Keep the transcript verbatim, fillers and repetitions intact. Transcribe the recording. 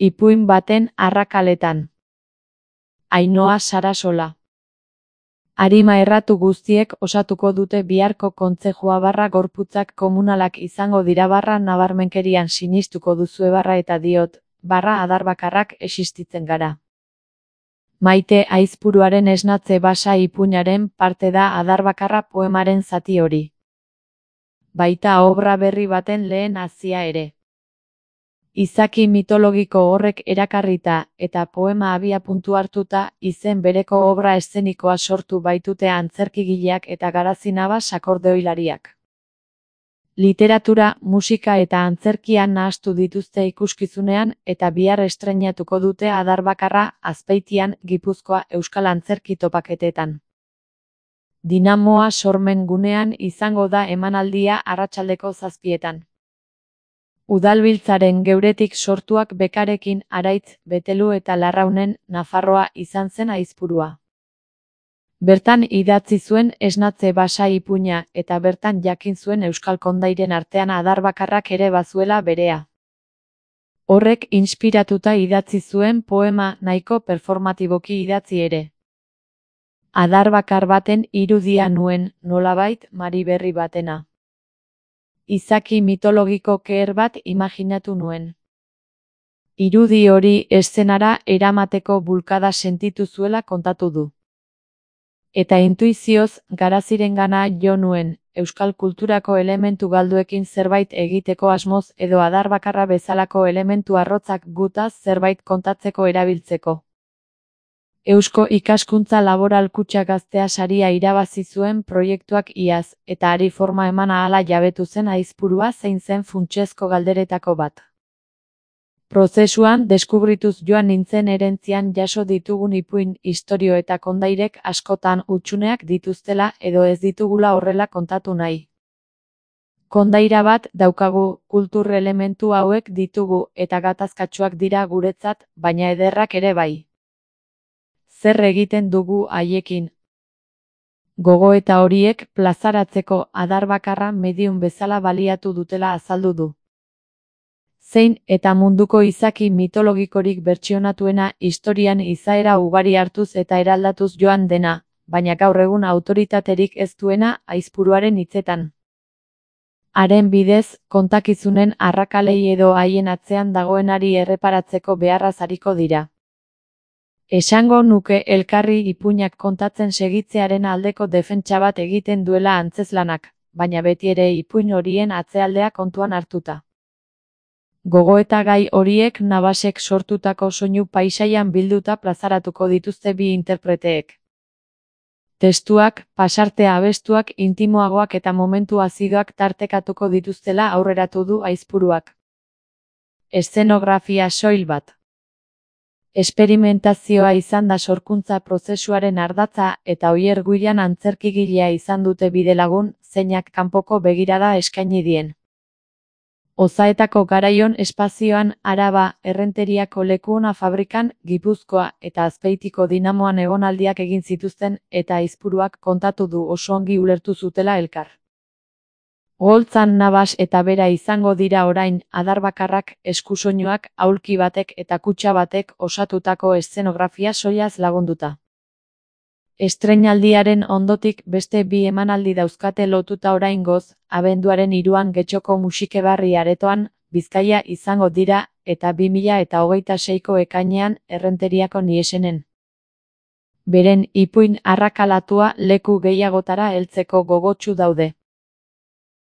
Ipuin baten arrakaletan. Ainhoa Sarasola. Arima erratu guztiek osatuko dute biharko kontzejua barra gorputzak komunalak izango dira barra nabarmenkerian sinistuko duzue barra eta diot, barra adarbakarrak existitzen gara. Maite Aizpuruaren esnatze basa ipuinaren parte da adarbakarra poemaren zati hori. Baita obra berri baten lehen hazia ere. Izaki mitologiko horrek erakarrita eta poema abiapuntu hartuta izen bereko obra eszenikoa sortu baitute antzerkigileak eta garazinaba sakordeoilariak. Literatura, musika eta antzerkia nahastu dituzte ikuskizunean eta bihar estreinatuko dute adarbakarra Azpeitian, Gipuzkoa euskal antzerki topaketetan. Dinamoa sormen gunean izango da emanaldia arratsaldeko zazpietan. Udalbiltzaren geuretik sortuak bekarekin Araitz, Betelu eta Larraunen Nafarroa izan zen Aizpurua. Bertan idatzi zuen esnatze basa ipuina eta bertan jakin zuen euskal kondairen artean adarbakarrak ere bazuela berea. Horrek inspiratuta idatzi zuen poema nahiko performatiboki idatzi ere. Adarbakar baten irudia nuen, nolabait Mari berri batena. Izaki mitologiko keher bat imaginatu nuen. Irudi hori eszenara eramateko bulkada sentitu zuela kontatu du. Eta intuizioz garazirengana jo nuen, euskal kulturako elementu galduekin zerbait egiteko asmoz edo adarbakarra bezalako elementu arrotzak gutaz zerbait kontatzeko erabiltzeko. Eusko Ikaskuntza Laboral Kutxa Gaztea saria irabazi zuen proiektuak iaz, eta ari forma eman ahala jabetu zen Aizpurua zein zen funtsezko galderetako bat. Prozesuan deskubrituz joan nintzen erentzian jaso ditugun ipuin, istorio eta kondairek askotan hutsuneak dituztela edo ez ditugula horrela kontatu nahi. Kondaira bat daukagu, kultur elementu hauek ditugu eta gatazkatsuak dira guretzat, baina ederrak ere bai. Zer egiten dugu haiekin? Gogoeta horiek plazaratzeko adarbakarra medium bezala baliatu dutela azaldu du. Zein eta munduko izaki mitologikorik bertsionatuena historian izaera ugari hartuz eta eraldatuz joan dena, baina gaur egun autoritaterik ez duena Aizpuruaren hitzetan. Haren bidez, kontakizunen arrakalei edo haien atzean dagoenari erreparatzeko beharraz ariko dira. Esango nuke elkarri ipuinak kontatzen segitzearen aldeko defentsa bat egiten duela antzeslanak, baina beti ere ipuin horien atzealdea kontuan hartuta. Gogoeta gai horiek Navasek sortutako soinu paisaian bilduta plazaratuko dituzte bi interpreteek. Testuak, pasartea abestuak, intimoagoak eta momentu azidoak tartekatuko dituztela aurreratu du Aizpuruak. Eszenografia soil bat. Esperimentazioa izan da sorkuntza prozesuaren ardatza eta Oier Guiran antzerkigilea izan dute bidelagun, zeinak kanpoko begirada eskaini dien. Ozaetako garaion espazioan Araba, Errenteriako Lekuona fabrikan, Gipuzkoa eta Azpeitiko Dinamoan egonaldiak egin zituzten eta Aizpuruak kontatu du oso ongi ulertu zutela elkar. Goltzan Navas eta bera izango dira orain adarbakarrak, eskusoinuak, aulki batek eta kutxa batek osatutako eszenografia soilaz lagunduta. Estreinaldiaren ondotik beste bi emanaldi dauzkate lotuta oraingoz, abenduaren hiruan Getxoko Musikebarri aretoan, Bizkaia izango dira, eta bi mila eta hogeita seiko ekainean Errenteriako Niesenen. Beren ipuin arrakalatua leku gehiagotara heltzeko gogotsu daude.